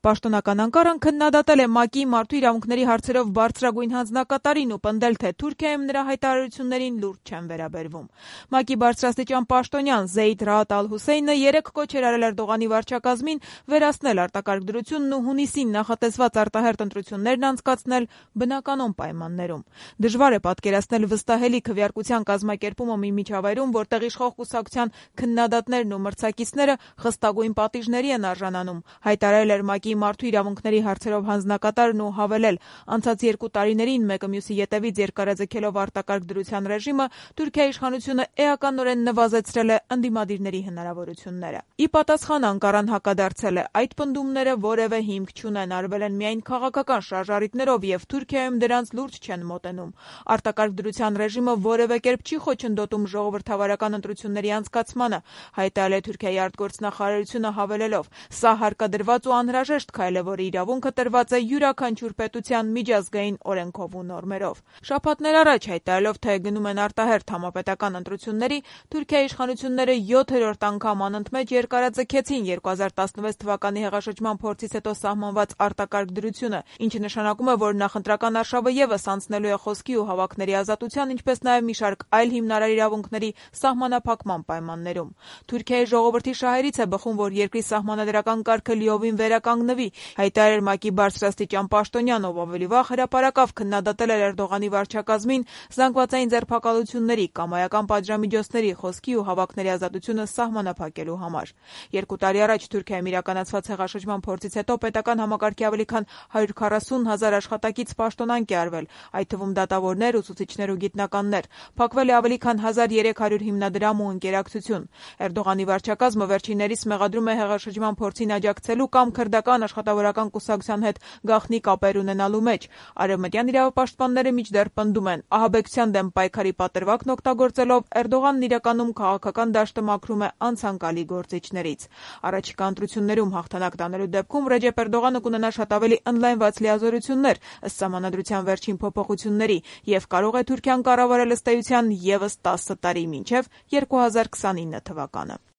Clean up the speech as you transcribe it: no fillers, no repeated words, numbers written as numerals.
Պաշտոնական Անկարան քննադատել է ՄԱԿ-ի մարդու իրավունքների հարցերով բարձրագույն հանձնակատարին ու պնդել, թե Թուրքիայում նրա հայտարարություններին լուրջ չեն վերաբերվում։ ՄԱԿ-ի բարձրաստիճան պաշտոնյան Զեյդ Ռաադ Ալ-Հուսեյնը երեկ կոչ էր արել Էրդողանի վարչակազմին վերացնել արտակարգ դրությունն ու հունիսին նախատեսված արտահերթ ընտրություններն անցկացնել բնականոն պայմաններում։ Դժվար է պատկերացնել վստահելի քվեարկության կազմակերպումը մի միջավայրում, որտեղ իշխող կուսակցության քննադատներն ու մրցակիցները խստագույն պատիժների են արժանանում, հայտարարել էր ՄԱԿ-ի մարդու իրավունքների հարցերով հանձնակատարն ու հավելել, անցած 2 տարիներին մեկը մյուսի ետևից երկարաձգելով արտակարգ դրության ռեժիմը, Թուրքիայի իշխանությունը էականորեն նվազեցրել է ընդդիմադիրների հնարավորությունները։ Ի պատասխան Անկարան հակադարձել է, այդ պնդումները որևէ հիմք չունեն, արվել են միայն քաղաքական շարժառիթներով եւ Թուրքիայում դրանց լուրջ չեն մոտենում։ Արտակարգ դրության ռեժիմը որևէ կերպ չի խոչընդոտում ժողովրդավարական ընտրությունների անցկացմանը, հայտարարել է Թուրքիայի արտգործնախարարությունը հավելելով. «Սա հարկադրված ու անհրաժեշտ քայլ է, որի իրավունքը տրված է յուրաքանչյուր պետության միջազգային օրենքով ու նորմերով»։ Շաբաթներ առաջ հայտարարելով, թե գնում են արտահերթ համապետական ընտրությունների, Թուրքիայի իշխանությունները 7-րդ անգամ անընդմեջ երկարաձգեցին 2016 թվականի հեղաշրջման փորձից հետո սահմանված արտակարգ դրությունը, ինչը նշանակում է, որ նախընտրական արշավը ևս անցնելու է խոսքի ու հավաքների ազատության, ինչպես նաև մի շարք այլ հիմնարար իրավունքների սահմանափակման պայմաններում։ Թուրքիայի ժողովրդի շահերից է բխում, որ երկրի սահմանադրական կարգը լիովին վերականգնվի, հայտարարել ՄԱԿ-ի բարձրաստիճան պաշտոնյան, ով ավելի վաղ հրապարակավ քննադատել էր Էրդողանի վարչակազմին զանգվածային ձերբակալությունների, կամայական պատժամիջոցների, խոսքի ու հավաքների ազատությունը սահմանափակելու համար։ 2 տարի առաջ Թուրքիայում իրականացված հեղաշրջման փորձից հետո պետական համակարգի ավելի քան 140,000 աշխատակից պաշտոնանկ է արվել, այդ թվում դատավորներ, ուսուցիչներ ու գիտնականներ։ Փակվել է ավելի քան 1300 հիմնադրամ ու ընկերակցություն։ Էրդողանի վարչակազմը վերջիններիս մեղադրում է հեղաշրջման փորձին աջակցելու կամ քրդական աշխատավորական կուսակցության հետ գաղտնի կապեր ունենալու մեջ։ Արևմտյան իրավապաշտպանները մինչդեռ պնդում են, ահաբեկչության դեմ պայքարի պատրվակն օգտագործելով Էրդողանն իրականում քաղաքական դաշտը մաքրում է անցանկալի գործիչներից։ Առաջիկա ընտրություններում հաղթանակ տանելու դեպքում Ռեջեփ Էրդողանը կունենա շատ ավելի ընդլայնված լիազորություններ ըստ սահմանադրության վերջին փոփոխությունների եւ կարող է Թուրքիան կառավարել ըստ էության ևս 10 տարի մինչեւ 2029 թվականը։